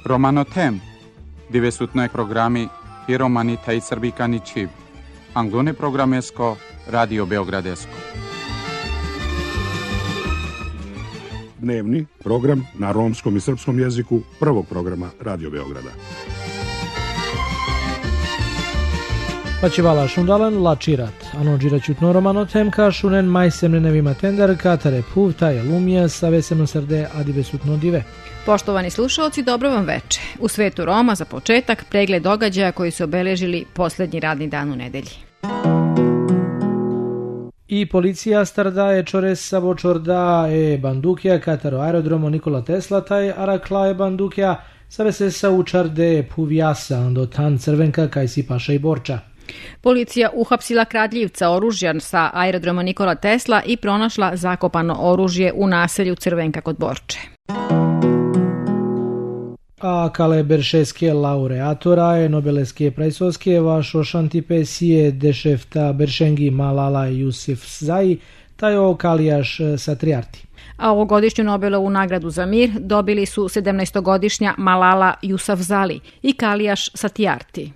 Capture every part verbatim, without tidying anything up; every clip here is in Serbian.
Romanotem, divesutnoj programi i romani taj srbikani čiv. Anglone programesko, Radio Beogradesko. Dnevni program na romskom i srpskom jeziku prvog programa Radio Beograda. Pačivala šundalan lačirat, ano džiraćutno romanotem ka šunen majsemne nevima tender ka tare puvta je lumija sa vesemno srde adivesutno dive. Poštovani slušalci, dobro vam veče. U svetu Roma za početak pregled događaja koji su obeležili posljednji radni dan u nedelji. I policija starda je čores sabo čorda e bandukja kataro aerodromo Nikola Tesla taj arakla e bandukja save se sa učarde puvjasa do tan crvenka kaj si paša i borča. Policija uhapsila kradljivca oružja sa aerodroma Nikola Tesla i pronašla zakopano oružje u naselju Crvenka kod Borče. A kale beršeske laureatora e Nobelevske prajsovske vašo šantipesije dešefta Beršengi Malala Yousafzai tajo kalijaš satrijarti. A ovogodišnju Nobelovu nagradu za mir dobili su sedamnaestogodišnja Malala Yousafzai i Kalijaš Satjarti.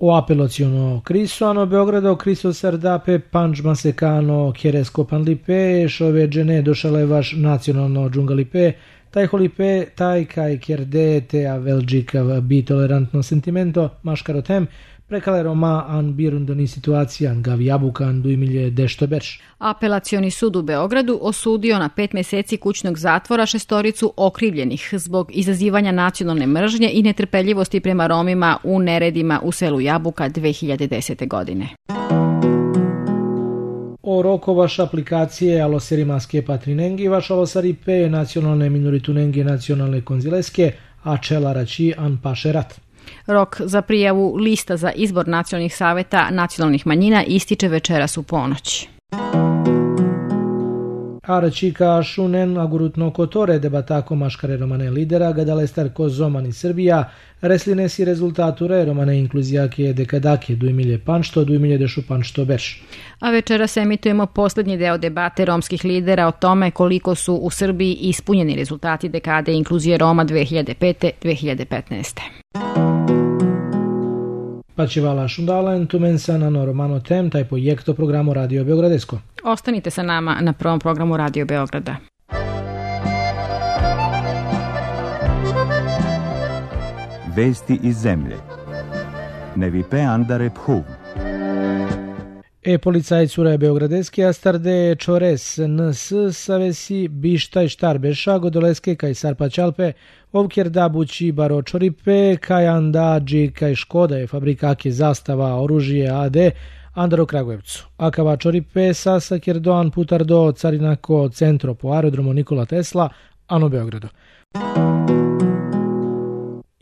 O apelaciono kriso ano Beogrado kriso sardape panč masekano kjeresko panlipe šove džene došale vaš nacionalno džungalipe taj holipe taj kaj kjerde te a velđikav bi tolerantno sentimento maškarotem prekale Roma an birundoni situacijan gav jabukan dujmilje dešto berš. Apelacioni sud u Beogradu osudio na pet meseci kućnog zatvora šestoricu okrivljenih zbog izazivanja nacionalne mržnje i netrpeljivosti prema Romima u neredima u selu Jabuka dve hiljade desete. godine. O roko vaš aplikacije aloserimaske patrinengi vaš alosaripe nacionalne minoritunengi nacionalne konzileske a čelarači an pašerat. Rok za prijavu lista za izbor nacionalnih saveta nacionalnih manjina ističe večeras u ponoć. Arčika šunen agurutno kotore debatako maškare romane lidera gadalestar ko zomani Srbija resline si rezultature romane inkluzijake dekadake dujmilje panšto dujmilje dešu panšto berš. A večeras emitujemo posljednji deo debate romskih lidera o tome koliko su u Srbiji ispunjeni rezultati dekade inkluzije Roma dve hiljade pete do dve hiljade petnaeste. Pačivala šundalen tumensa na romano tem taj projekto programu Radio Beogradesko. Ostanite sa nama na prvom programu Radio Beograda. Vesti iz zemlje. Nevipe andare phuv. E policajcura Beogradeske astarde čores ns savesi bištaj štarbeša godoleske kaj sarpačalpe ovkjer da bući baro čoripe kaj andađi kaj škoda je fabrikake zastava oružije A D andaro Kragujevcu. Akava čoripe sasa kjer doan putar do carinako centro po aerodromu Nikola Tesla ano Beogradu.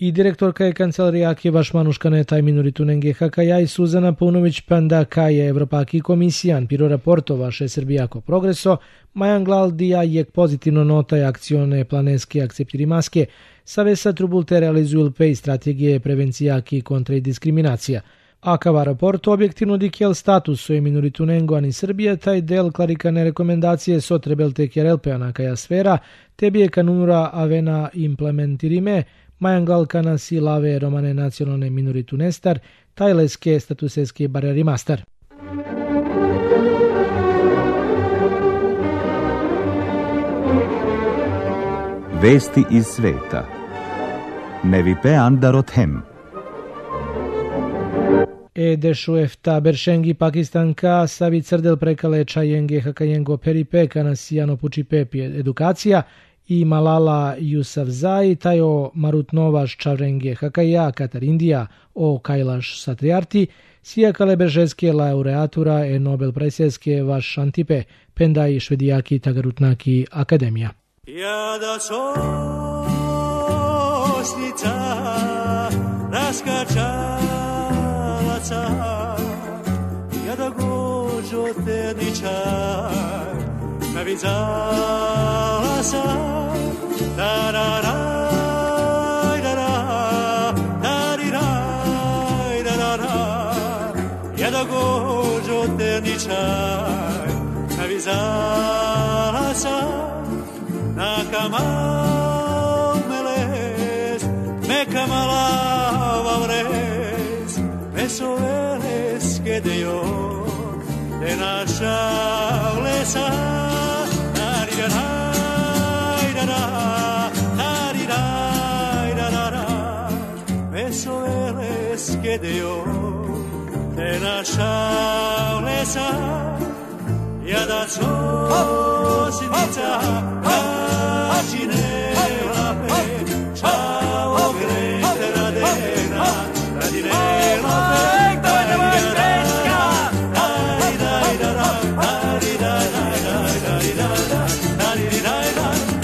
I direktorka je kancelarijake vaš manuškane taj minoritunenge hakaja i Suzana Paunović panda kaj je Evropaki komisijan piro raporto vaše Srbijako progreso, majan galdija je pozitivno notaj akcione planeske akceptirimaske, savesa trubulte realizuju pej strategije prevencijaki kontra i diskriminacija. Akava raporto objektivno dikjel status o minoritunengo ani Srbija taj del klarikane rekomendacije so trebelte kjerelpe anakaja sfera, tebi je kanunura avena implementirime, majangal kana si lave romane nacionalne minoritu nestar, tajleske statuseske barjeri mastar. Vesti iz sveta. Nevipe andarot hem. E dešuefta Beršengi Pakistanka savi crdel prekale čajenge hakajengo peripe kana sijano puči pepi edukacija i Malala Yousafzai tajo marutnovaš čavrenge hakaja Katar Indija o Kailaš Satriarti sija kale beržeske laureatura e Nobel prajseske vaš šantipe pendaj švedijaki tagarutnaki akademija. Jada sosnica raskačalaca jada gođo tedničar navizala sam da-da-raj, da-da, da-di-raj, da-da-da jada gođo tedničar navizala sam na kaman šaulesa, Vesoveles que dio de la šaulesa, ja da čosnica kačine lape, čao grete radena, radine lape, daj da moj preska, daj daj da da, daj daj daj daj daj daj daj daj daj daj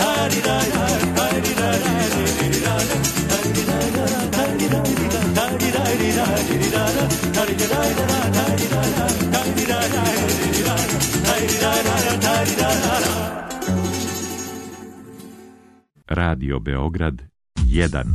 Radio Beograd jedan.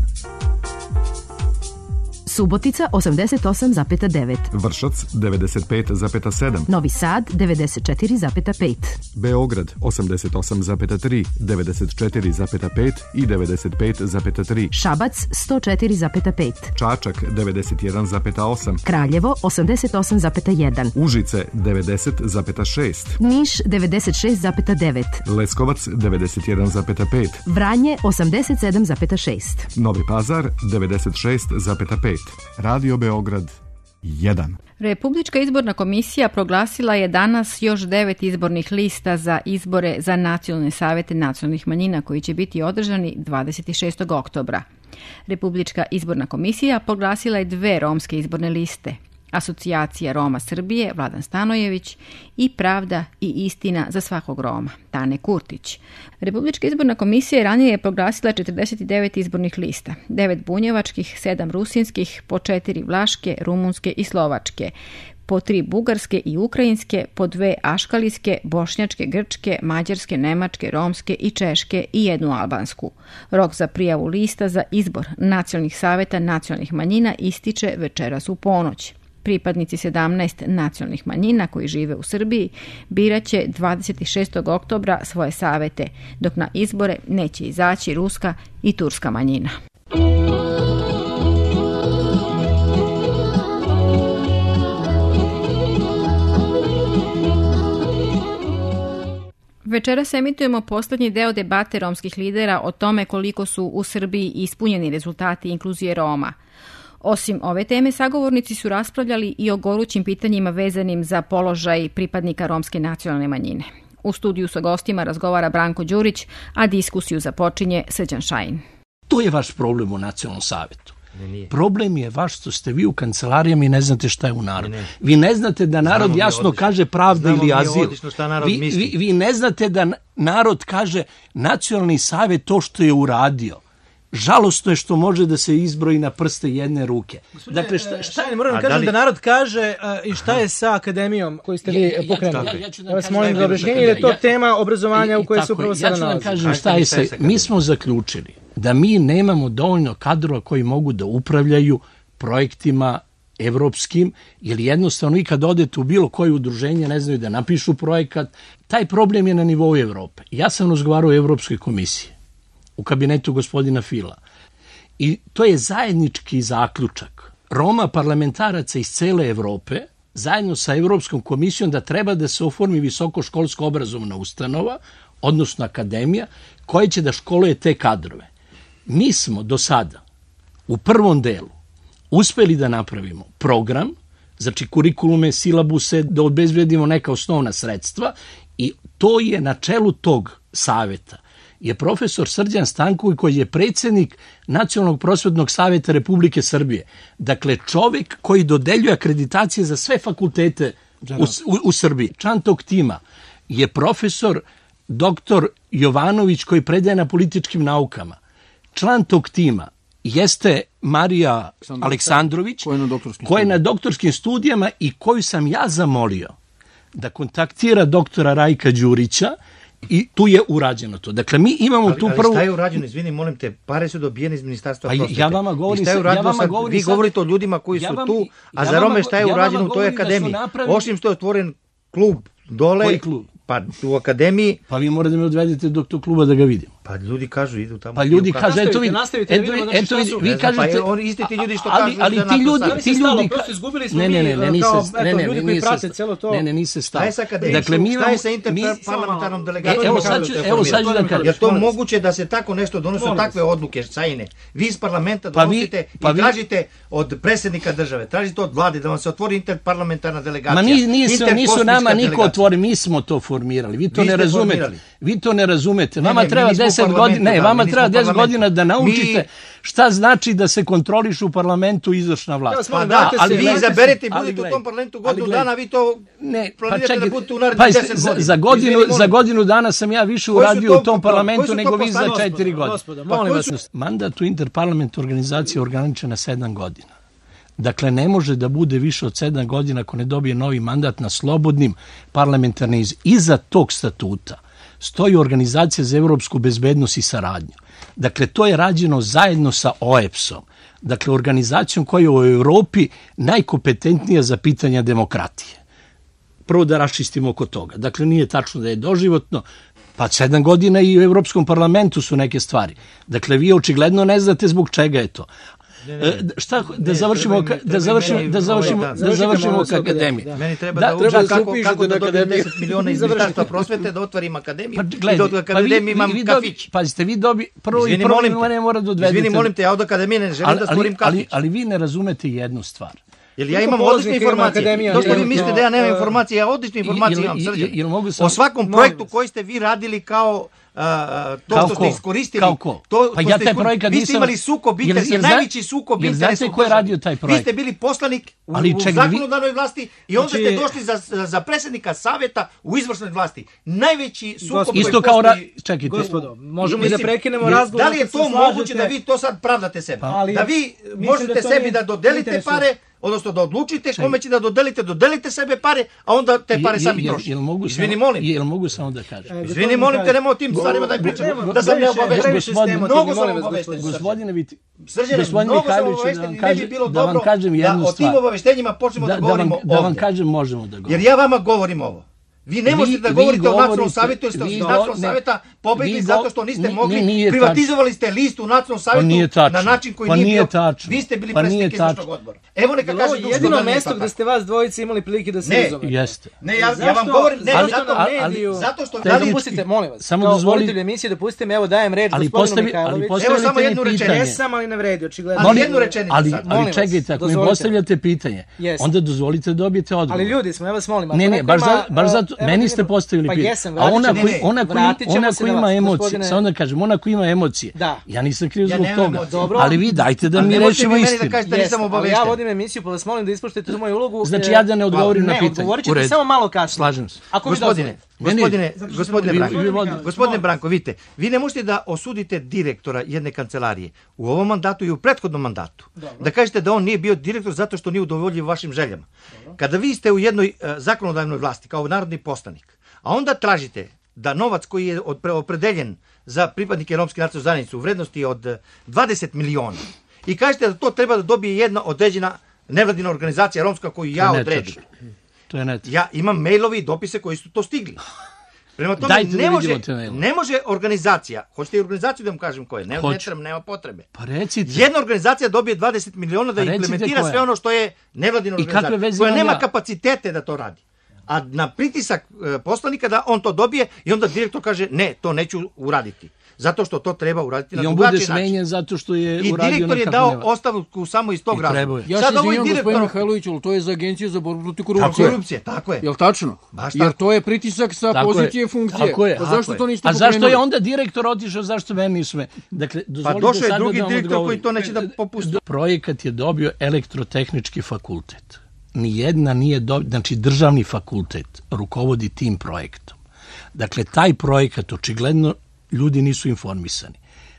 Subotica osamdeset osam zarez devet, Vršac devedeset pet zarez sedam, Novi Sad devedeset četiri zarez pet, Beograd osamdeset osam zarez tri, devedeset četiri zarez pet i devedeset pet zarez tri, Šabac sto četiri zarez pet, Čačak devedeset jedan zarez osam, Kraljevo osamdeset osam zarez jedan, Užice devedeset zarez šest, Niš devedeset šest zarez devet, Leskovac devedeset jedan zarez pet, Vranje osamdeset sedam zarez šest. Novi Pazar devedeset šest zarez pet. Radio Beograd jedan. Republička izborna komisija proglasila je danas još devet izbornih lista za izbore za nacionalne savete nacionalnih manjina koji će biti održani dvadeset šestog oktobra. Republička izborna komisija proglasila je dve romske izborne liste. Asocijacija Roma Srbije, Vladan Stanojević, i Pravda i istina za svakog Roma, Tane Kurtić. Republička izborna komisija ranije je proglasila četrdeset devet izbornih lista, devet bunjevačkih, sedam rusinskih, po četiri vlaške, rumunske i slovačke, po tri bugarske i ukrajinske, po dve aškalijske, bošnjačke, grčke, mađarske, nemačke, romske i češke i jednu albansku. Rok za prijavu lista za izbor nacionalnih saveta nacionalnih manjina ističe večeras u ponoć. Pripadnici sedamnaest nacionalnih manjina koji žive u Srbiji biraće dvadeset šestog oktobra svoje savete, dok na izbore neće izaći ruska i turska manjina. Večeras emitujemo poslednji deo debate romskih lidera o tome koliko su u Srbiji ispunjeni rezultati inkluzije Roma. Osim ove teme, sagovornici su raspravljali i o gorućim pitanjima vezanim za položaj pripadnika romske nacionalne manjine. U studiju sa gostima razgovara Branko Đurić, a diskusiju započinje Srđan Šajin. To je vaš problem u Nacionalnom savetu. Problem je vaš što ste vi u kancelarijama i ne znate šta je u narodu. Ne, ne. Vi ne znate da narod Znamo jasno kaže pravda Znamo ili azil. Vi, vi, vi ne znate da narod kaže nacionalni savet to što je uradio. Žalostno je što može da se izbroji na prste jedne ruke. Gospodine, dakle, šta, šta je, moram da kažem da, li... da narod kaže uh, i šta je sa akademijom koju ste vi ja, pokrenuli. Ja, ja, ja, ja vas molim za objašnjenje, jer je to ja, tema obrazovanja u kojoj se upravo sada nalazi. Ja ću da kažem šta je sa... Mi smo zaključili da mi nemamo dovoljno kadrova koji mogu da upravljaju projektima evropskim, jer jednostavno i kad odete u bilo koje udruženje ne znaju da napišu projekat. Taj problem je na nivou Evrope. Ja sam razgovarao o Evropskoj komisiji u kabinetu gospodina Fila. I to je zajednički zaključak Roma parlamentaraca iz cele Evrope zajedno sa Evropskom komisijom da treba da se oformi visokoškolska obrazovna ustanova, odnosno akademija, koja će da školuje te kadrove. Mi smo do sada u prvom delu uspeli da napravimo program, znači kurikulume, silabuse, da obezbedimo neka osnovna sredstva i to je na čelu tog saveta je profesor Srđan Stanković koji je predsjednik Nacionalnog prosvetnog saveta Republike Srbije. Dakle, čovjek koji dodeljuje akreditacije za sve fakultete u, u, u Srbiji. Član tog tima je profesor doktor Jovanović koji predaje na političkim naukama. Član tog tima jeste Marija Aleksandrović koja je na doktorskim studijama i koju sam ja zamolio da kontaktira doktora Rajka Đurića i tu je urađeno to. Dakle, mi imamo ali, tu ali prvu... Ali šta je urađeno? Izvini, molim te, pare su dobijene iz Ministarstva prosvete. Ja vama govorim... Šta je urađeno ja vama sad? govorim Vi sad... govorite o ljudima koji ja su vam, tu, a ja za Rome šta je ja urađeno u toj akademiji? Napravili... Osim što je otvoren klub dole... Koji klub? Pa u akademiji... Pa vi morate me odvedete do tog kluba da ga vidimo. Pa ljudi kažu idu tamo. Pa ljudi kažu, eto vi, nastavite, eto vi, eto vi, vi kažete... Pa oni isti ti ljudi što ali, kažu... ali da ti ljudi, NATO ti ljudi... Prosto izgubili smo ne, ne, ne, ne, mi, niste, kao, ne, eto, ne, ljudi ne, koji prate cijelo to. Ne, ne, niste stav. Šta je sa akademijom? Dakle, mi šta je sa mi, interparlamentarnom delegacijom? Evo sad ću, evo sad ću da kažem. Je to moguće da se tako nešto donose, takve odluke, sajne? Vi iz parlamenta donosite pa i tražite od predsjednika države, tražite od vlade da vam se otvori interparlamentarna delegacija. Ma ni, nisu, nisu nama niko otvori, mi smo to formirali. Vi to vi ne razumete. Formirali. Vi to ne razumete. Vama ne, ne, treba deset godina, ne, vama treba deset godina da naučite mi... šta znači da se kontroliš u parlamentu izvršna vlast. Pa da, ali vi izaberete i budete u tom parlamentu godinu dana, vi to ne, planirate pa da budete u narednih deset godina. Za godinu, za godinu dana sam ja više uradio u tom parlamentu nego vi za četiri godine. Mandat u interparlamentu organizacije je ograničen na sedam godina. Dakle, ne može da bude više od sedam godina ako ne dobije novi mandat na slobodnim parlamentarnim iz. Iza tog statuta stoji Organizacija za evropsku bezbednost i saradnju. Dakle, to je rađeno zajedno sa O E B S-om. Dakle, organizacijom koja je u Europi najkompetentnija za pitanja demokratije. Prvo da raščistimo oko toga. Dakle, nije tačno da je doživotno, pa sedam godina i u Evropskom parlamentu su neke stvari. Dakle, vi očigledno ne znate zbog čega je to. Ne, ne, šta da završimo da završimo da završimo da završimo akademiju. Meni treba da uđe kako kako da dobijem deset miliona iz Ministarstva prosvete da otvorim akademiju. I da od akademije imam kafić. Pazite, vi dobi prvo i prvo ne mora da odvedete. Izvini, molim te, ja od akademije ne želim da stvorim kafić. Ali ali vi ne razumete jednu stvar. Jer ja imam odlične informacije. Dok vi mislite da ja nemam informacije, ja odlične informacije imam, Srđan. O svakom projektu koji ste vi radili kao Uh, to kao što ko? Ste iskoristili, to pa ja taj projekat vi ste imali sukob interesa, najveći sukob interesa. Znate ko je radio taj projekt? Vi ste bili poslanik u, ali, u zakonodavnoj vlasti i onda znači, ste došli za, za predsjednika savjeta u izvršnoj vlasti. Najveći sukob isto kao ra... Čekajte, gospodo, možemo i da prekinemo razgovor. Da li je to moguće da vi to sad pravdate sebe? Ali, da vi možete da sebi da dodelite pare, odnosno da odlučite kome će da dodelite, dodelite sebe pare, a onda te pare sami trošite. Izvini, molim. Jel mogu samo da kažem? Izvini, molim te, nemoj o tim stvarima da pričam, da sam ne obavešten. Mnogo sam obavešten. Gospodine Viti, Srđane, mnogo sam obavešten i ne bi bilo dobro da o tim obaveštenjima počnemo da govorimo ovdje. Da vam kažem, možemo da govorimo. Jer ja vama govorim ovo. Vi ne možete da govorite o nacionalnom savjetu, jer ste iz nacionalnog savjeta pobegli zato što niste mogli, privatizovali ste listu u nacionalnom savjetu na način koji nije bio. Vi ste bili predsjednik izvršnog odbora. Evo neka kaže Duško. Jedino mesto gde ste vas dvojice imali prilike da se izove. Jeste. Ne, ja vam govorim, ne, zato što... Da dopustite, molim vas, kao voditelj emisije, dopustite mi, evo dajem reč gospodinu Mihajloviću. Evo samo jednu rečenicu. Ne sam, ali ne vredi, očigledno. Ali jednu rečenicu sad. Ali čekajte, ako mi postavljate pitanje, onda dozvolite da dobijete odgovor. Ali ljudi smo, ja vas molim. Ne, ne, baš zato, meni ste postavili pa pitanje. Jesam, a ona koji, ona koji, ona koji ima emocije, samo da kažem, ona koji ima emocije, da. Ja nisam kriv zbog ja toga. Dobro. Ali vi dajte da mi rešimo istinu. Da nisam obavešten. Ja vodim emisiju, pa vas molim da ispoštujete tu moju ulogu. Znači ja da ne odgovorim na pitanje. Ne, odgovorit ćete samo malo kasnije. Slažem se. Ako gospodine, gospodine, gospodine Branko, gospodine Branko, vidite, vi ne možete da osudite direktora jedne kancelarije u ovom mandatu i u prethodnom mandatu. Da kažete da on nije bio direktor zato što nije udovoljio vašim željama. Kada vi ste u jednoj zakonodavnoj vlasti kao narodni poslanik, a onda tražite da novac koji je opredeljen za pripadnike romske nacionalne zajednice u vrednosti od dvadeset miliona i kažete da to treba da dobije jedna određena nevladina organizacija romska koju ja odredim. To je net. Ja imam mailovi i dopise koji su to stigli. Prema tome, Dajte ne, može, ne može organizacija, hoćete i organizaciju da vam kažem koje, ne, ne treba, nema potrebe. Pa recite. Jedna organizacija dobije dvadeset miliona da pa implementira sve ono što je nevladina organizacija, koja nema ja? kapacitete da to radi. A na pritisak e, poslanika da on to dobije i onda direktor kaže ne, to neću uraditi. Zato što to treba uraditi na drugačiji način. I on bude smenjen zato što je I uradio direktor je dao nema. ostavku samo iz tog razloga. Ja se izvinjam, gospodin Mihajlović, ali to je za agenciju za borbu protiv korupcije. Tako korupcije, tako je. Jel tačno? Baš Jer to je pritisak sa tako pozicije je. funkcije. Tako je. Pa zašto to niste A zašto je onda direktor otišao, zašto meni nisu me? Dakle, pa došao je drugi direktor koji to neće da popusti. Projekat je dobio elektrotehnički fakultet. Nijedna nije dobio, znači državni fakultet rukovodi tim projektom. Dakle, taj projekat očigledno ljudi nisu informisani.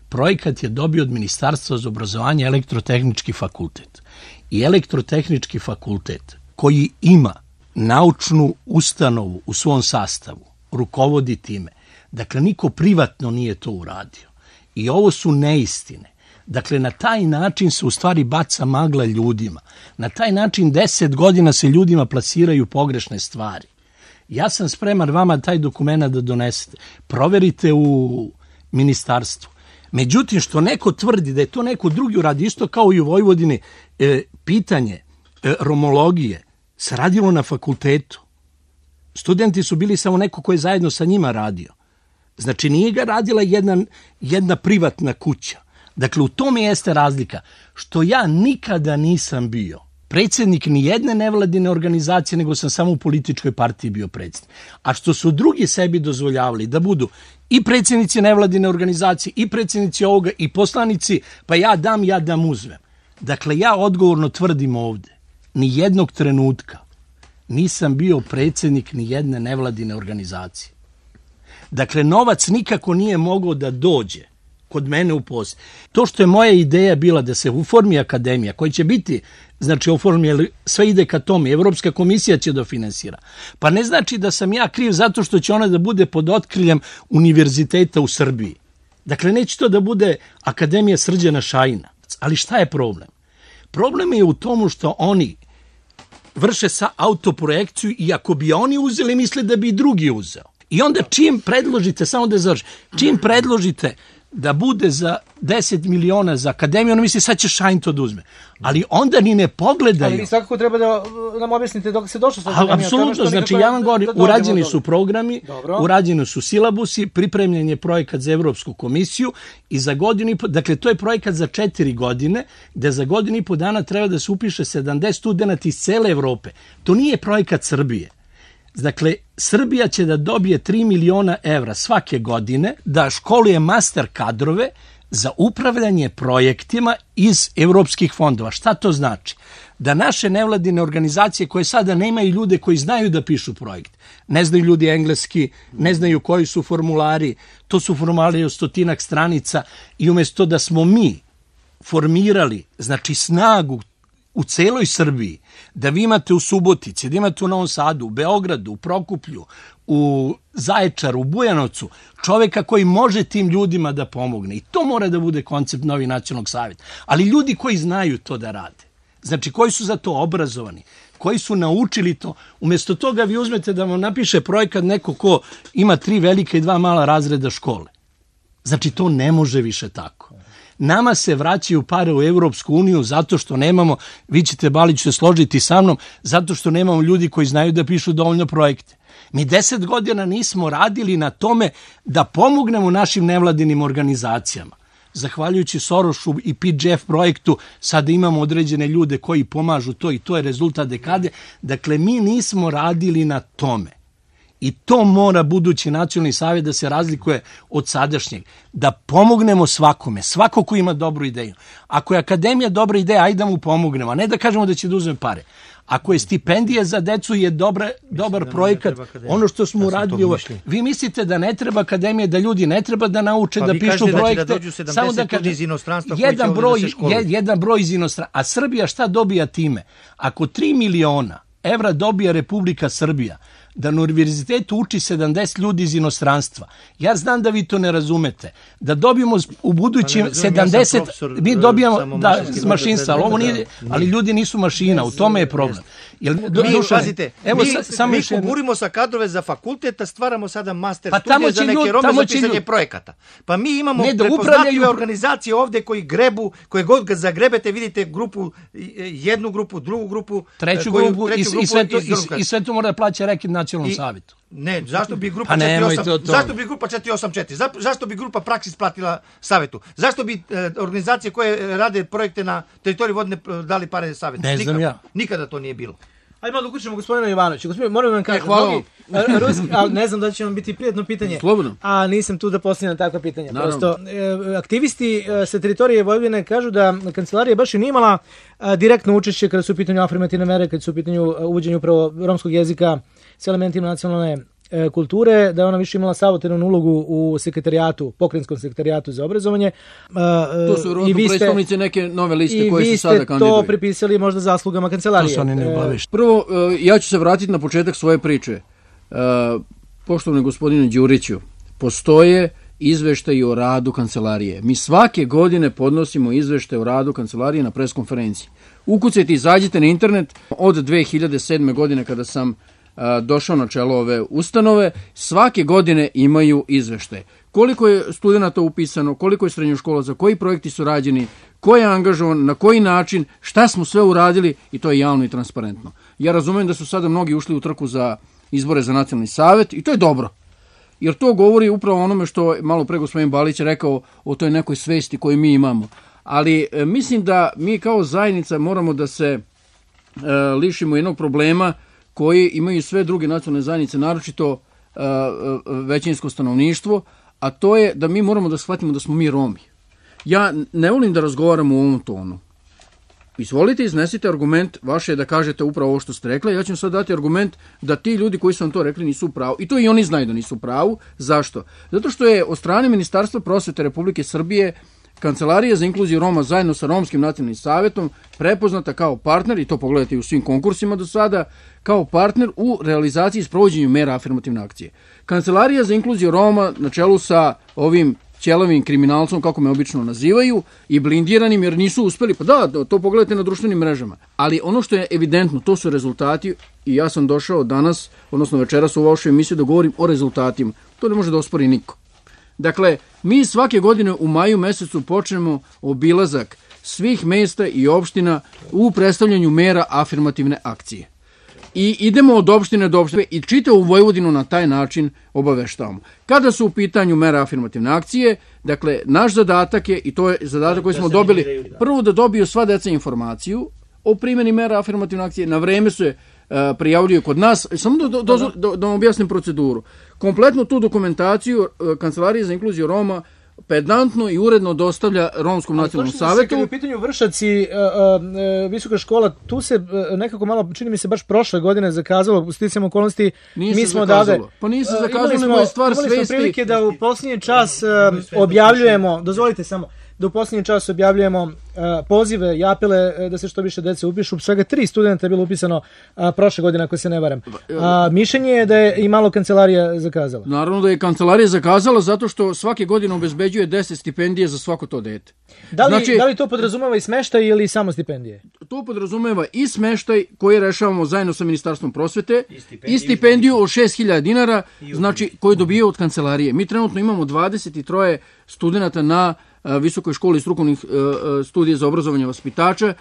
Projekat je dobio od Ministarstva za obrazovanje elektrotehnički fakultet. I elektrotehnički fakultet koji ima naučnu ustanovu u svom sastavu, rukovodi time. Dakle, niko privatno nije to uradio. I ovo su neistine. Dakle, na taj način se u stvari baca magla ljudima. Na taj način deset godina se ljudima plasiraju pogrešne stvari. Ja sam spreman vama taj dokument da donesete. Proverite u ministarstvu. Međutim, što neko tvrdi da je to neko drugi uradio, isto kao i u Vojvodini, e, pitanje e, romologije se radilo na fakultetu. Studenti su bili samo neko ko je zajedno sa njima radio. Znači, nije ga radila jedna, jedna privatna kuća. Dakle, u tome jeste razlika. Što ja nikada nisam bio predsjednik ni jedne nevladine organizacije, nego sam samo u političkoj partiji bio predsjednik. A što su drugi sebi dozvoljavali da budu i predsjednici nevladine organizacije, i predsjednici ovoga, i poslanici, pa ja dam, ja dam uzmem. Dakle, ja odgovorno tvrdim ovde, ni jednog trenutka nisam bio predsjednik ni jedne nevladine organizacije. Dakle, novac nikako nije mogao da dođe kod mene u posjed. To što je moja ideja bila da se uformi akademija, koja će biti, znači oformi, sve ide ka tome, Evropska komisija će dofinansira. Pa ne znači da sam ja kriv zato što će ona da bude pod otkriljem univerziteta u Srbiji. Dakle, neće to da bude Akademija Srđana Šajina. Ali šta je problem? Problem je u tomu što oni vrše sa autoprojekciju i ako bi oni uzeli, misle da bi i drugi uzeo. I onda čim predložite, samo da završim, čim predložite da bude za deset miliona za akademiju, ono misli sad će Šajn to da uzme. Ali onda ni ne pogledaju. Ali svakako treba da nam objasnite dok se došlo sa akademijom. Apsolutno, znači ja vam govorim, urađeni su programi, urađeni su silabusi, pripremljen je projekat za Evropsku komisiju i za godinu i po, dakle to je projekat za četiri godine, gde za godinu i po dana treba da se upiše sedamdeset studenata iz cele Evrope. To nije projekat Srbije. Dakle, Srbija će da dobije tri miliona evra svake godine da školuje master kadrove za upravljanje projektima iz evropskih fondova. Šta to znači? Da naše nevladine organizacije koje sada nemaju ljude koji znaju da pišu projekt, ne znaju ljudi engleski, ne znaju koji su formulari, to su formulari od stotinak stranica i umjesto da smo mi formirali, znači snagu u celoj Srbiji, da vi imate u Subotici, da imate u Novom Sadu, u Beogradu, u Prokuplju, u Zaječaru, u Bujanovcu, čoveka koji može tim ljudima da pomogne. I to mora da bude koncept novi nacionalnog savjeta. Ali ljudi koji znaju to da rade, znači koji su za to obrazovani, koji su naučili to, umjesto toga vi uzmete da vam napiše projekat neko ko ima tri velike i dva mala razreda škole. Znači to ne može više tako. Nama se vraćaju pare u Evropsku uniju zato što nemamo, vi ćete Balić se složiti sa mnom, zato što nemamo ljudi koji znaju da pišu dovoljno projekte. Mi deset godina nismo radili na tome da pomognemo našim nevladinim organizacijama. Zahvaljujući Sorošu i P G F projektu sada imamo određene ljude koji pomažu to i to je rezultat dekade. Dakle, mi nismo radili na tome. I to mora budući nacionalni savjet da se razlikuje od sadašnjeg. Da pomognemo svakome, svako ko ima dobru ideju. Ako je akademija dobra ideja, ajde da mu pomognemo, a ne da kažemo da će da uzme pare. Ako je stipendija za decu je dobra, dobar projekat, ono što smo uradili ovo. Vi mislite da ne treba akademija, da ljudi ne treba da nauče pa da pišu projekte. Da dođu samo da kažem, iz inostranstva jedan broj, je, jedan broj iz inostranstva. A Srbija šta dobija time? Ako tri miliona evra dobija Republika Srbija, da na univerzitetu uči sedamdeset ljudi iz inostranstva. Ja znam da vi to ne razumete. Da dobijemo u budućim pa sedamdeset, ja mi dobijamo da, mašinstva, ali, ovo nije, ali ljudi nisu mašina, u tome je problem. Jel, do, mi, pazite, evo, mi, sa, samo mi kuburimo sa kadrove za fakultet, a stvaramo sada master pa studije za neke ljudi, Rome za pisanje ljudi. Projekata. Pa mi imamo ne, prepoznatljive organizacije ovde koji grebu, koje god ga zagrebete, vidite grupu, jednu grupu, drugu grupu, treću koju, grupu, treću i, grupu i, sve to, i, i, i sve to mora da plaća rekid nacionalnom savjetu. Ne, zašto bi grupa pa četiri osam zašto bi grupa četiri osam četiri za, zašto bi grupa Praksis platila savjetu? Zašto bi e, organizacije koje rade projekte na teritoriji Vodne dali pare savjetu? Ne znam ja. Nikada to nije bilo. Ajde malo da uključimo gospodina Jovanovića. Gospodin, moram vam kažem, e, ruski, ali ne znam da će vam biti prijetno pitanje. Slobodno. A nisam tu da postavljam takva pitanja. Prosto, e, aktivisti e, sa teritorije Vojvodine kažu da kancelarija baš i nije imala e, direktno učešće kada su u pitanju afirmativne mere, kada su u pitanju uvođenja upravo romskog jezika s elementima nacionalne e, kulture, da je ona više imala savjetodavnu ulogu u sekretarijatu, pokrajinskom sekretarijatu za obrazovanje. E, to su rodno predstavnice neke nove liste koje se sada kandiduju. I vi ste to pripisali možda zaslugama kancelarije. To su oni ne obavešteni. Prvo, ja ću se vratiti na početak svoje priče. Poštovani gospodine Đuriću, postoje izveštaji o radu kancelarije. Mi svake godine podnosimo izveštaj o radu kancelarije na preskonferenciji. Ukucajte, izađite na internet od dve hiljade sedme. godine kada sam došao na čelo ove ustanove, svake godine imaju izveštaje. koliko je studenta upisano, koliko je srednjoškolaca, koji projekti su rađeni, ko je angažovan, na koji način, šta smo sve uradili i to je javno i transparentno. Ja razumijem da su sada mnogi ušli u trku za izbore za nacionalni savet i to je dobro. Jer to govori upravo onome što malo pre gospodin Balić rekao o toj nekoj svesti koju mi imamo. Ali e, mislim da mi kao zajednica moramo da se e, lišimo jednog problema koji imaju sve druge nacionalne zajednice, naročito e, većinsko stanovništvo, a to je da mi moramo da shvatimo da smo mi Romi. Ja ne volim da razgovaram u ovom tonu. Izvolite, iznesite argument, vaše je da kažete upravo ovo što ste rekli, ja ću sad dati argument da ti ljudi koji su vam to rekli nisu u pravu. I to i oni znaju da nisu u pravu. Zašto? Zato što je od strane Ministarstva prosvete Republike Srbije Kancelarija za inkluziju Roma zajedno sa Romskim nacionalnim savetom prepoznata kao partner, i to pogledajte u svim konkursima do sada, kao partner u realizaciji i sprovođenju mera afirmativne akcije. Kancelarija za inkluziju Roma na čelu sa ovim ćelavim kriminalcom, kako me obično nazivaju, i blindiranim jer nisu uspeli. Pa da, to pogledajte na društvenim mrežama. Ali ono što je evidentno, to su rezultati i ja sam došao danas, odnosno večeras u vašoj emisiji da govorim o rezultatima. To ne može da ospori niko. Dakle, mi svake godine u maju mesecu počnemo obilazak svih mesta i opština u predstavljanju mera afirmativne akcije. I idemo od opštine do opštine i čitavu Vojvodinu na taj način obaveštavamo. Kada su u pitanju mera afirmativne akcije, dakle, naš zadatak je, i to je zadatak koji smo dobili, prvo da dobiju sva deca informaciju o primjeni mera afirmativne akcije, na vreme su je uh, prijavljuju kod nas, samo da, da, da, da, da vam objasnim proceduru. Kompletnu tu dokumentaciju uh, Kancelarija za inkluziju Roma pedantno i uredno dostavlja Romskom nacionalnom savetu. Kad je u pitanju Vršaci, uh, uh, visoka škola, tu se uh, nekako malo, čini mi se baš prošle godine zakazalo, u sticajem okolnosti, nije mi se smo zakazalo. dade... Pa nije se uh, zakazalo, nego je stvar svesti. Imali smo prilike da u posljednji čas uh, objavljujemo, dozvolite samo, da u posljednji čas objavljujemo uh, pozive i apele uh, da se što više dece upišu. Svega tri studenta je bilo upisano uh, prošle godine, ako se ne varam. A mišljenje je da je i malo kancelarija zakazala. Naravno da je kancelarija zakazala zato što svake godine obezbeđuje deset stipendije za svako to dete. Da li, znači, da li to podrazumeva i smeštaj ili samo stipendije? To podrazumeva i smeštaj koji rešavamo zajedno sa Ministarstvom prosvete i stipendiju, i stipendiju od šest hiljada dinara, znači koju dobije od kancelarije. Mi trenutno imamo dvadeset tri studenta na Visokoj školi strukovnih uh, studija za obrazovanje vaspitača.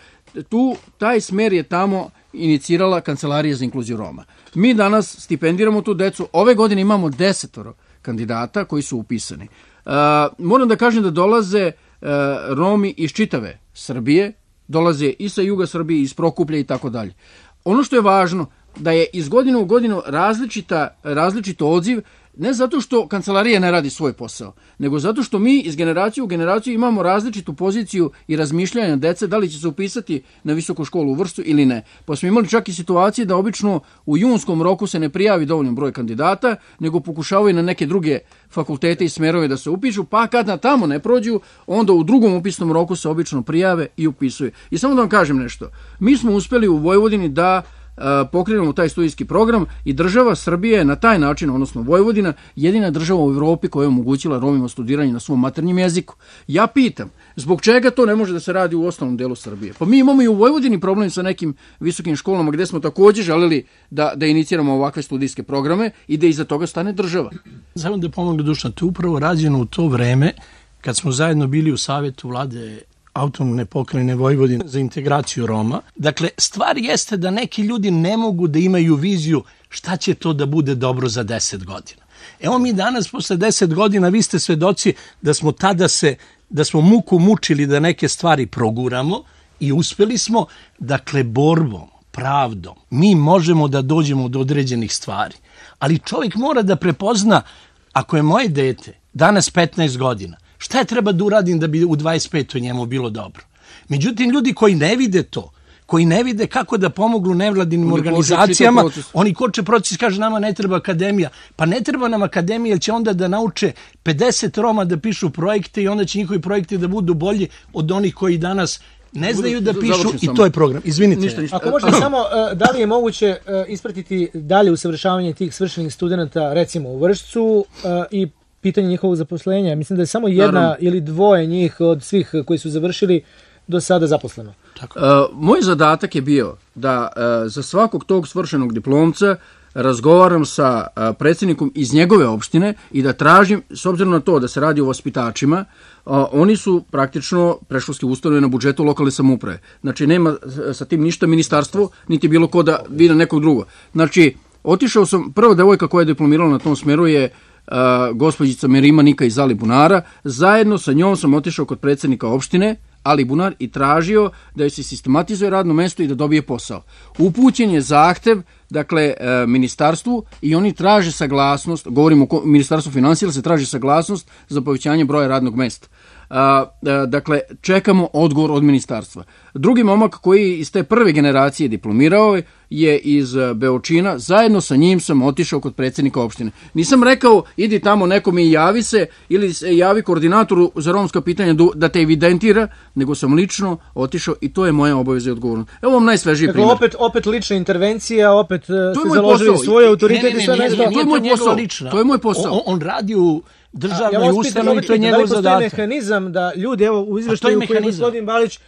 Tu, taj smer je tamo inicirala Kancelarija za inkluziju Roma. Mi danas stipendiramo tu decu. Ove godine imamo desetoro kandidata koji su upisani. Uh, moram da kažem da dolaze uh, Romi iz čitave Srbije, dolaze i sa juga Srbije, iz Prokuplja i tako dalje. Ono što je važno, da je iz godine u godinu različita, različito odziv, ne zato što kancelarija ne radi svoj posao, nego zato što mi iz generacije u generaciju imamo različitu poziciju i razmišljanja dece, da li će se upisati na visoku školu u Vršcu ili ne. Pa smo imali čak i situacije da obično u junskom roku se ne prijavi dovoljno broj kandidata, nego pokušavaju na neke druge fakultete i smerove da se upišu, pa kad na tamo ne prođu, onda u drugom upisnom roku se obično prijave i upisuju. I samo da vam kažem nešto, mi smo uspeli u Vojvodini da pokrenemo taj studijski program i država Srbije je na taj način, odnosno Vojvodina, jedina država u Evropi koja je omogućila Romima studiranje na svom maternjem jeziku. Ja pitam, zbog čega to ne može da se radi u ostalom delu Srbije? Pa mi imamo i u Vojvodini problem sa nekim visokim školama gde smo također želeli da, da iniciramo ovakve studijske programe i da iza toga stane država. Samo da pomogne Dušan, to je upravo rađeno u to vreme kad smo zajedno bili u savjetu vlade autonomne pokrajine Vojvodine za integraciju Roma. Dakle, stvar jeste da neki ljudi ne mogu da imaju viziju šta će to da bude dobro za deset godina. Evo mi danas, posle deset godina, vi ste svedoci da smo tada se, da smo muku mučili da neke stvari proguramo i uspeli smo, dakle, borbom, pravdom, mi možemo da dođemo do određenih stvari. Ali čovjek mora da prepozna, ako je moje dete danas petnaest godina, šta je treba da uradim da bi u dvadeset petoj njemu bilo dobro? Međutim, ljudi koji ne vide to, koji ne vide kako da pomognu nevladinim oni organizacijama, oni koče proces, kaže nama ne treba akademija. Pa ne treba nam akademija, jer će onda da nauče pedeset Roma da pišu projekte i onda će njihovi projekti da budu bolji od onih koji danas ne znaju da pišu i to je program. Izvinite. Ništa, ništa. Ako možete samo, da li je moguće ispratiti dalje usavršavanje tih svršenih studenta, recimo u Vršcu, i pitanje njihovog zaposlenja? Mislim da je samo jedna Naravno. ili dvoje njih od svih koji su završili do sada zaposleno. Tako. Uh, moj zadatak je bio da uh, za svakog tog svršenog diplomca razgovaram sa a, predsjednikom iz njegove opštine i da tražim, s obzirom na to da se radi o vaspitačima, a, oni su praktično predškolske ustanove na budžetu lokalne samouprave. Znači, nema sa tim ništa ministarstvo, niti bilo ko da vidi nekog drugog. Znači, otišao sam, prva devojka koja je diplomirala na tom smeru je uh, gospođica Merima Nika iz Alibunara. Zajedno sa njom sam otišao kod predsjednika opštine Alibunar i tražio da joj se sistematizuje radno mesto i da dobije posao. Upućen je zahtev, dakle, uh, ministarstvu i oni traže saglasnost, govorimo o ministarstvu finansija, se traži saglasnost za povećanje broja radnog mesta. Uh, uh, dakle, čekamo odgovor od ministarstva. Drugi momak koji iz te prve generacije diplomirao je iz Beočina, zajedno sa njim sam otišao kod predsjednika opštine. Nisam rekao, idi tamo nekom i javi se, ili se javi koordinatoru za romska pitanja da te evidentira, nego sam lično otišao i to je moja obaveza i odgovornost. Evo vam najsvežiji dakle, primjer. Opet, opet lična intervencija, opet ste založili svoje autoritet i sve nešto. To je moj posao. To je moj posao. On, on radi u državnoj ja ustanovi, to je njegov zadatak. Da li postoji mehanizam da ljudi, evo u izveštaju koji je gospodin Balić,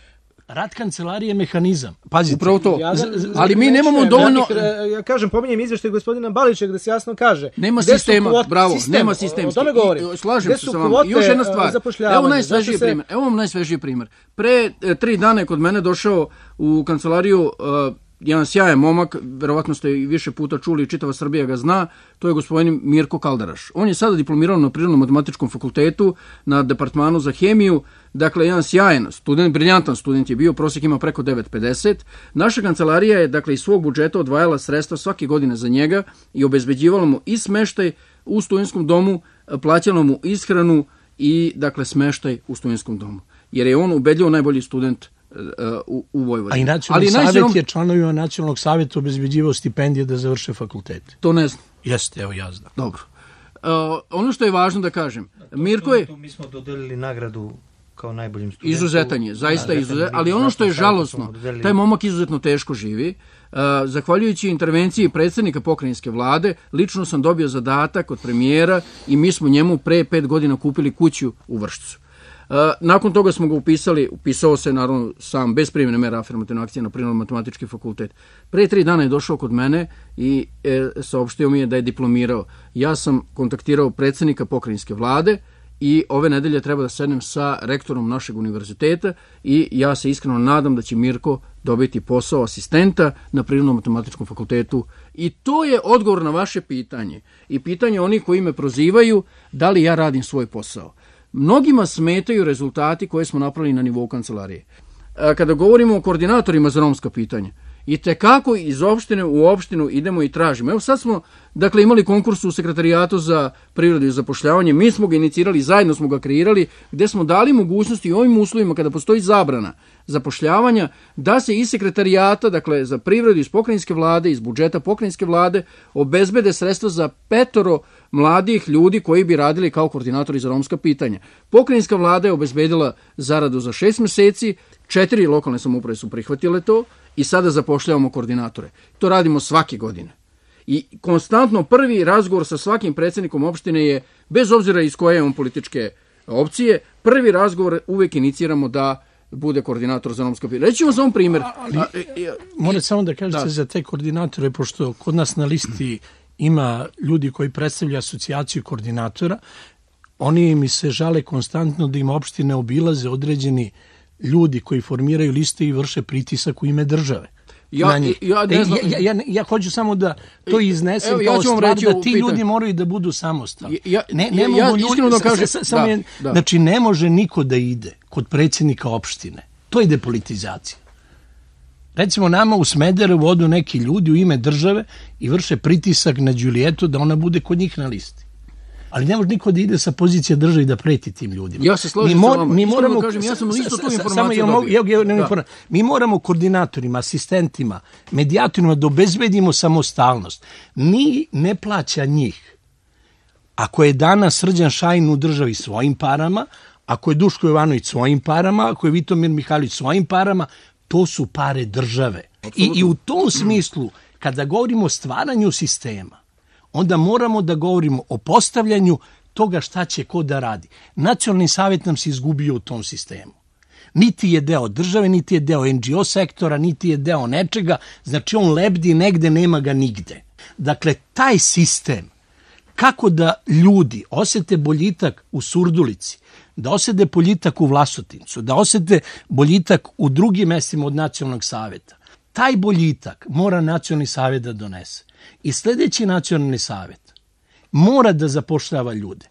rad kancelarije je mehanizam. Pazite. Upravo to. Ja, ali mi nemamo dovoljno... Ja, ja kažem, pominjem izveštaj gospodina Balića gde se jasno kaže. Nema sistema, kvot, bravo, sistem, nema sistemski. O tome govorim. Slažem se sa vama. I još jedna stvar. Evo najsvežiji se... primjer. Evo vam najsvežiji primjer. Pre e, tri dana je kod mene došao u kancelariju e, jedan sjajan momak, verovatno ste i više puta čuli, čitava Srbija ga zna, to je gospodin Mirko Kaldaraš. On je sada diplomirao na Prirodno-matematičkom fakultetu na departmanu za hemiju, dakle jedan sjajan student, briljantan student je bio, prosjek ima preko devet zarez pedeset. Naša kancelarija je dakle iz svog budžeta odvajala sredstva svake godine za njega i obezbeđivala mu i smeštaj u studentskom domu, plaćala mu ishranu i dakle smeštaj u studentskom domu. Jer je on ubedljivo najbolji student u, u Vojvodini. A i nacionalni savjet najvećom... je članovima nacionalnog savjeta obezbeđivao stipendije da završe fakultet. To ne znam. Jeste, evo ja znam. Dobro. Uh, ono što je važno da kažem, to, Mirko je... Tu mi smo dodelili nagradu kao najboljim studentu. Izuzetan je, zaista izuzetan, ali ono što je žalosno, taj momak izuzetno teško živi. Uh, zahvaljujući intervenciji predsjednika pokrajinske vlade, lično sam dobio zadatak od premijera i mi smo njemu pre pet godina kupili kuću u Vršcu. Uh, nakon toga smo ga upisali, upisao se naravno sam bez primjene mera afirmativne akcije na Prirodno-matematički fakultet. Pre tri dana je došao kod mene i e, saopštio mi je da je diplomirao. Ja sam kontaktirao predsjednika pokrajinske vlade i ove nedelje treba da sednem sa rektorom našeg univerziteta i ja se iskreno nadam da će Mirko dobiti posao asistenta na Prirodno-matematičkom fakultetu i to je odgovor na vaše pitanje i pitanje onih koji me prozivaju da li ja radim svoj posao. Mnogima smetaju rezultati koje smo napravili na nivou kancelarije. Kada govorimo o koordinatorima za romska pitanja, i tekako iz opštine u opštinu idemo i tražimo. Evo sad smo dakle, imali konkurs u sekretarijatu za prirodu i zapošljavanje, mi smo ga inicirali, zajedno smo ga kreirali, gde smo dali mogućnosti u ovim uslovima kada postoji zabrana zapošljavanja, da se iz sekretarijata, dakle za privredu iz pokrajinske vlade, iz budžeta pokrajinske vlade, obezbede sredstva za petoro mladih ljudi koji bi radili kao koordinatori za romska pitanja. Pokrajinska vlada je obezbedila zaradu za šest meseci, četiri lokalne samouprave su prihvatile to i sada zapošljavamo koordinatore. To radimo svake godine. I konstantno prvi razgovor sa svakim predsjednikom opštine je, bez obzira iz koje je on političke opcije, prvi razgovor uvijek iniciramo da bude koordinator za romska pitanja. Reći ćemo samo primjer. Ali, a, e, e, morate samo da kažete da. Za te koordinatore, pošto kod nas na listi ima ljudi koji predstavljaju asocijaciju koordinatora, oni mi se žale konstantno da im opštine obilaze određeni ljudi koji formiraju liste i vrše pritisak u ime države. Ja, ja, ne znam. ja, ja, ja hoću samo da to iznesem Evo, kao stvar da ti ljudi moraju da budu samostalni. Ja, ne, ne ja, mogu ja, ljudi, da kažem, sa, sa, da, je, da. Znači, ne može niko da ide kod predsjednika opštine. To je depolitizacija. Recimo, nama u Smederevu odu neki ljudi u ime države i vrše pritisak na Đulijetu da ona bude kod njih na listi. Ali ne može niko da ide sa pozicije države i da preti tim ljudima. Ja se složim mi sa vama. Mi moramo, kažem, ja sam isto tu informaciju samo, dobio. Ja, ja, ja, mi moramo koordinatorima, asistentima, medijatorima da obezbedimo samostalnost. Ni ne plaća njih. Ako je danas Srđan Šajin u državi svojim parama, ako je Duško Jovanović svojim parama, ako je Vitomir Mihajlović svojim parama, to su pare države. I, I u tom smislu, kada govorimo o stvaranju sistema, onda moramo da govorimo o postavljanju toga šta će ko da radi. Nacionalni savjet nam se izgubio u tom sistemu. Niti je deo države, niti je deo en dži o sektora, niti je deo nečega, znači on lebdi negde, nema ga nigde. Dakle, taj sistem, kako da ljudi osete boljitak u Surdulici, da osete boljitak u Vlasotincu, da osete boljitak u drugim mestima od nacionalnog saveta, taj boljitak mora nacionalni savet da donese. I sljedeći nacionalni savet mora da zapošljava ljude,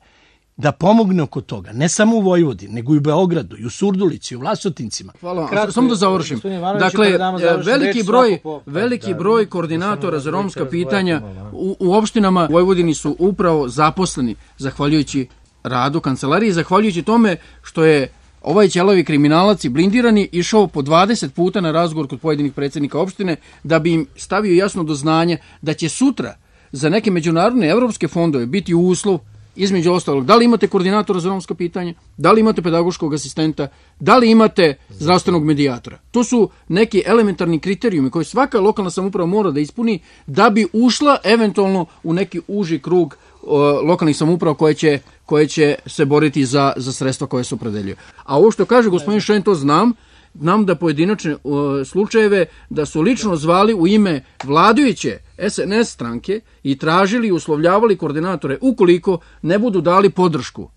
da pomogne oko toga, ne samo u Vojvodini, nego i u Beogradu, i u Surdulici, i u Vlasotincima. Hvala vam. Samo da završim. Dakle, veliki broj, veliki broj koordinatora za romska pitanja u, u opštinama u Vojvodini su upravo zaposleni, zahvaljujući radu kancelarije, zahvaljujući tome što je ovaj ćelavi kriminalac i blindirani išao po dvadeset puta na razgovor kod pojedinih predsjednika opštine da bi im stavio jasno do znanja da će sutra za neke međunarodne evropske fondove biti uslov, između ostalog, da li imate koordinatora za romska pitanja, da li imate pedagoškog asistenta, da li imate zdravstvenog medijatora. To su neki elementarni kriterijumi koje svaka lokalna samouprava mora da ispuni da bi ušla eventualno u neki uži krug o, lokalnih samouprava koje će, koje će se boriti za, za sredstva koje se opredeljuju. A ovo što kaže gospodin Šen, to znam, znam da pojedinačne o, slučajeve da su lično zvali u ime vladajuće es en es stranke i tražili i uslovljavali koordinatore ukoliko ne budu dali podršku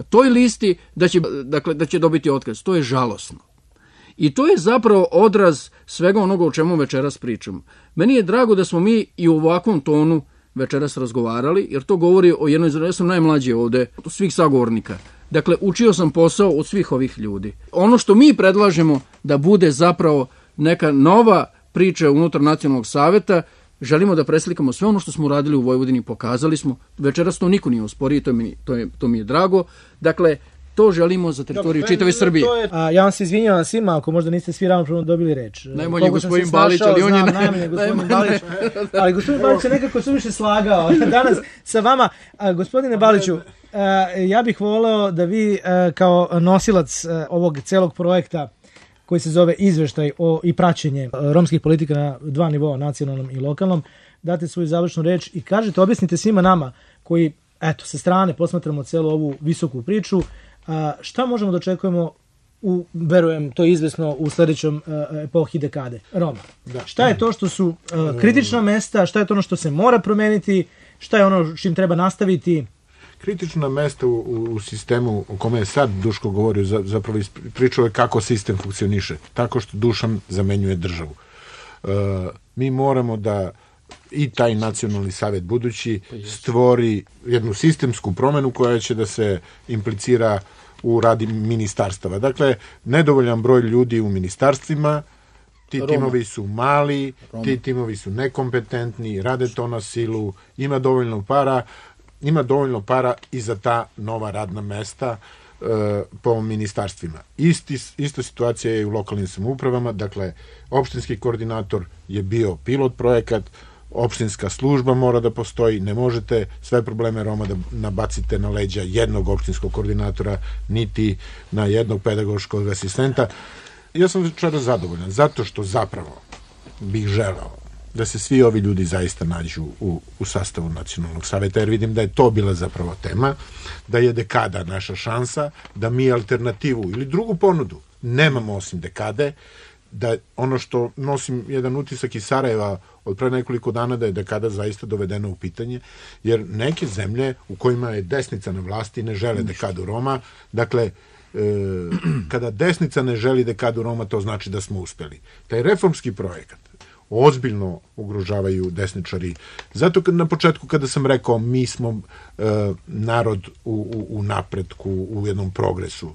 toj listi da će, dakle, da će dobiti otkaz. To je žalosno. I to je zapravo odraz svega onoga o čemu večeras pričamo. Meni je drago da smo mi i u ovakvom tonu večeras razgovarali, jer to govori o jednoj, ja sam najmlađi ovde, od svih sagovornika. Dakle, učio sam posao od svih ovih ljudi. Ono što mi predlažemo da bude zapravo neka nova priča unutar nacionalnog saveta, želimo da preslikamo sve ono što smo uradili u Vojvodini, pokazali smo. Večeras to niko nije osporio, to mi, to, je, to mi je drago. Dakle, to želimo za teritoriju čitave Srbije. Je, a, ja vam se izvinjavam svima ako možda niste svi ravnopravno dobili reč. Najmanje gospodin Balić, ali on je... Znam, najmanje gospodin Balić, ali gospodin Balić je nekako suviše slagao danas sa vama. A, gospodine Baliću, a, ja bih voleo da vi a, kao nosilac a, ovog celog projekta koji se zove Izveštaj o i praćenje romskih politika na dva nivoa, nacionalnom i lokalnom, date svoju završnu reč i kažete, objasnite svima nama koji, eto, sa strane posmatramo celu ovu visoku priču, a, šta možemo da očekujemo u, verujem, to je izvesno u sljedećom a, epohi dekade Roma. Da. Šta je to što su a, kritična mesta, šta je to ono što se mora promeniti, šta je ono čim treba nastaviti? Kritična mesta u, u sistemu o kome je sad Duško govorio, za, zapravo pričao je kako sistem funkcioniše, tako što Dušan zamenjuje državu. E, mi moramo da i taj nacionalni savjet budući stvori jednu sistemsku promenu koja će da se implicira u radi ministarstava. Dakle, nedovoljan broj ljudi u ministarstvima, ti Roma. Timovi su mali, Roma. Ti timovi su nekompetentni, rade to na silu, ima dovoljno para, ima dovoljno para i za ta nova radna mesta e, po ministarstvima. Isti, ista situacija je i u lokalnim samoupravama, dakle, opštinski koordinator je bio pilot projekat, opštinska služba mora da postoji, ne možete sve probleme Roma da nabacite na leđa jednog opštinskog koordinatora, niti na jednog pedagoškog asistenta. Ja sam večera zadovoljan, zato što zapravo bih želeo da se svi ovi ljudi zaista nađu u, u sastavu nacionalnog saveta, jer vidim da je to bila zapravo tema, da je dekada naša šansa, da mi alternativu ili drugu ponudu nemamo osim dekade, da ono što nosim jedan utisak iz Sarajeva od pre nekoliko dana da je dekada zaista dovedena u pitanje, jer neke zemlje u kojima je desnica na vlasti ne žele dekadu Roma, dakle, e, kada desnica ne želi dekadu Roma, to znači da smo uspeli. Taj reformski projekat ozbiljno ugrožavaju desničari. Zato kad, na početku kada sam rekao mi smo e, narod u, u, u napretku, u jednom progresu,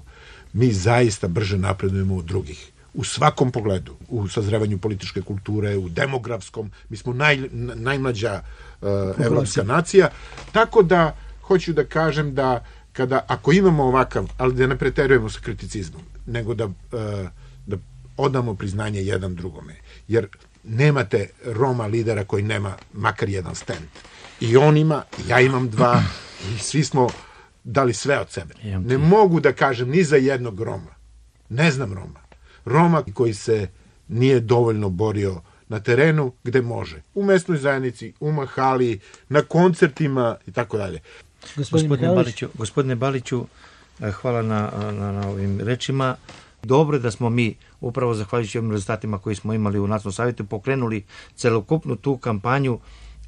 mi zaista brže napredujemo od drugih. U svakom pogledu, u sazrevanju političke kulture, u demografskom, mi smo naj, najmlađa uh, evropska nacija, tako da hoću da kažem da kada, ako imamo ovakav, ali da ne preterujemo sa kriticizmom, nego da, uh, da odamo priznanje jedan drugome, jer nemate Roma lidera koji nema makar jedan stand. I on ima, ja imam dva, i svi smo dali sve od sebe. Ne mogu da kažem ni za jednog Roma. Ne znam Roma. Roma koji se nije dovoljno borio na terenu gde može. U mesnoj zajednici, u mahali, na koncertima i tako dalje. Gospodine Baliću, gospodine Baliću, hvala na, na, na ovim rečima. Dobro je da smo mi, upravo zahvaljujući ovim rezultatima koji smo imali u Nacionalnom savjetu, pokrenuli celokupnu tu kampanju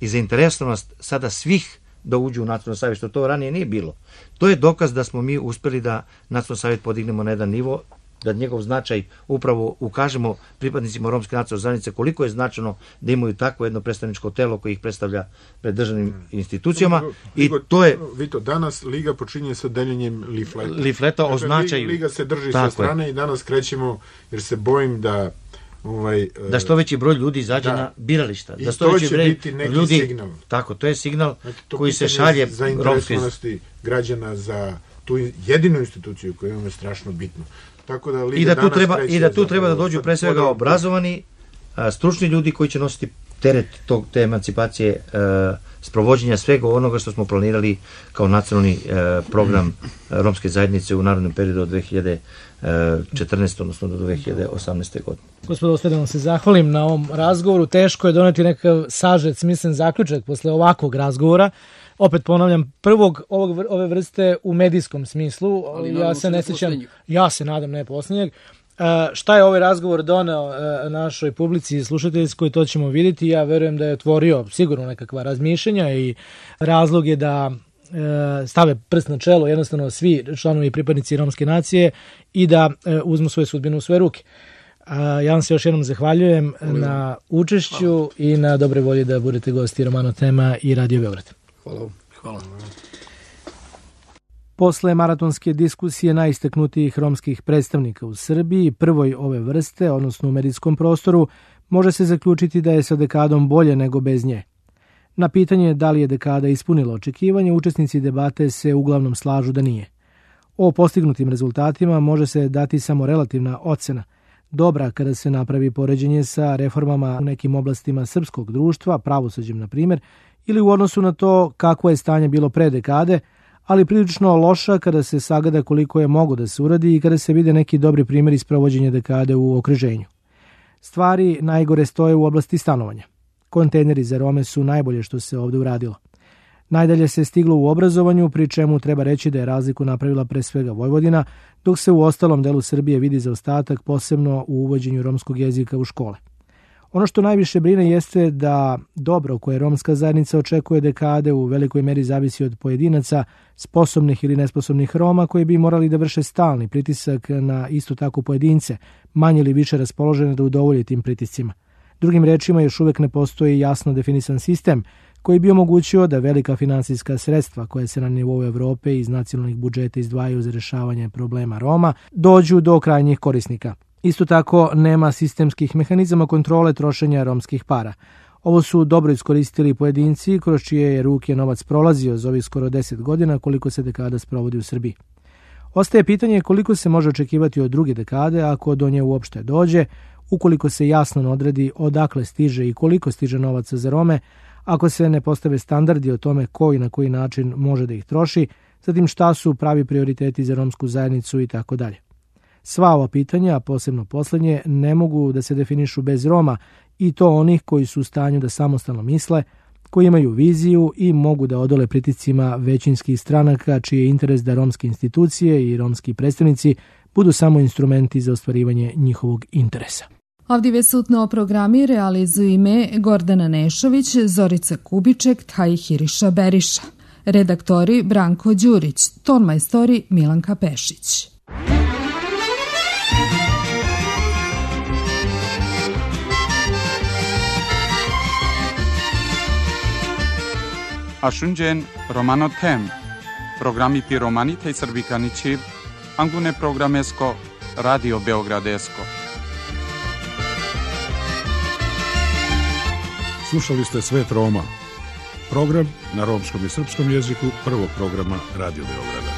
i zainteresovanost sada svih da uđu u Nacionalni savjet, što to ranije nije bilo. To je dokaz da smo mi uspeli da Nacionalni savjet podignemo na jedan nivo, da njegov značaj upravo ukažemo pripadnicima romske nacionalne zajednice koliko je značajno da imaju takvo jedno predstavničko telo koje ih predstavlja pred državnim institucijama. I to je... Vito, danas Liga počinje sa deljenjem lifleta. Lifleta o značaju. Liga se drži sa strane i danas krećemo, jer se bojim da Ovaj, da što veći broj ljudi izađe da, na birališta. I da to će biti neki ljudi, signal. Tako, to je signal znači, koji se šalje zainteresovanosti građana za tu jedinu instituciju koju imamo je strašno bitno. Tako da I da tu treba, i da tu treba da dođu pre svega obrazovani, a, stručni ljudi koji će nositi teret tog, te emancipacije, a, sprovođenja svega onoga što smo planirali kao nacionalni a, program a, romske zajednice u narodnom periodu od dve hiljade četrnaeste. odnosno do dve hiljade osamnaeste. godine. Gospodo, ostaje da vam se zahvalim na ovom razgovoru. Teško je doneti nekav sažet, smislen zaključak posle ovakvog razgovora. Opet ponavljam, prvog ovog, ove vrste u medijskom smislu. Ali ja se ne sjećam, ja se nadam ne posljednjeg. Uh, šta je ovaj razgovor doneo uh, našoj publici i slušateljskoj, to ćemo vidjeti. Ja verujem da je otvorio sigurno nekakva razmišljanja i razlog je da stave prst na čelo jednostavno svi članovi i pripadnici romske nacije i da uzmu svoju sudbinu u svoje ruke. Ja vam se još jednom zahvaljujem Hvala. na učešću Hvala. i na dobre volji da budete gosti Romano Tema i Radio Beograd. Hvala. Hvala. Posle maratonske diskusije najistaknutijih romskih predstavnika u Srbiji, prvoj ove vrste, odnosno u medijskom prostoru, može se zaključiti da je sa dekadom bolje nego bez nje. Na pitanje da li je dekada ispunila očekivanje, učesnici debate se uglavnom slažu da nije. O postignutim rezultatima može se dati samo relativna ocena, dobra kada se napravi poređenje sa reformama u nekim oblastima srpskog društva, pravosuđem na primjer, ili u odnosu na to kakvo je stanje bilo pre dekade, ali prilično loša kada se sagleda koliko je mogo da se uradi i kada se vide neki dobri primjeri sprovođenja dekade u okruženju. Stvari najgore stoje u oblasti stanovanja. Kontejneri za Rome su najbolje što se ovdje uradilo. Najdalje se stiglo u obrazovanju, pri čemu treba reći da je razliku napravila pre svega Vojvodina, dok se u ostalom delu Srbije vidi zaostatak, posebno u uvođenju romskog jezika u škole. Ono što najviše brine jeste da dobro koje romska zajednica očekuje dekade u velikoj meri zavisi od pojedinaca, sposobnih ili nesposobnih Roma koji bi morali da vrše stalni pritisak na isto tako pojedince, manje ili više raspoložene da udovolje tim pritiscima. Drugim rečima, još uvek ne postoji jasno definisan sistem koji bi omogućio da velika finansijska sredstva koje se na nivou Evrope iz nacionalnih budžeta izdvajaju za rješavanje problema Roma dođu do krajnjih korisnika. Isto tako, nema sistemskih mehanizama kontrole trošenja romskih para. Ovo su dobro iskoristili pojedinci kroz čije je ruke novac prolazio za ovih skoro deset godina koliko se dekada sprovodi u Srbiji. Ostaje pitanje koliko se može očekivati od druge dekade ako do nje uopšte dođe, ukoliko se jasno odredi odakle stiže i koliko stiže novaca za Rome, ako se ne postave standardi o tome ko i na koji način može da ih troši, zatim šta su pravi prioriteti za romsku zajednicu i tako dalje. Sva ova pitanja, a posebno poslednje, ne mogu da se definišu bez Roma i to onih koji su u stanju da samostalno misle, koji imaju viziju i mogu da odole pritiscima većinskih stranaka čiji je interes da romske institucije i romski predstavnici budu samo instrumenti za ostvarivanje njihovog interesa. Ovdje sutno o programi realizuju ime Gordana Nešović, Zorica Kubiček, Taj Hiriša Beriša. Redaktori Branko Đurić, tonmajstori Milanka Pešić. Ashunjen Romano Tem, programi pi romanite i srbikanići, angune programesko, Radio Beogradesko. Slušali ste Svet Roma, program na romskom i srpskom jeziku prvog programa Radio Beograda.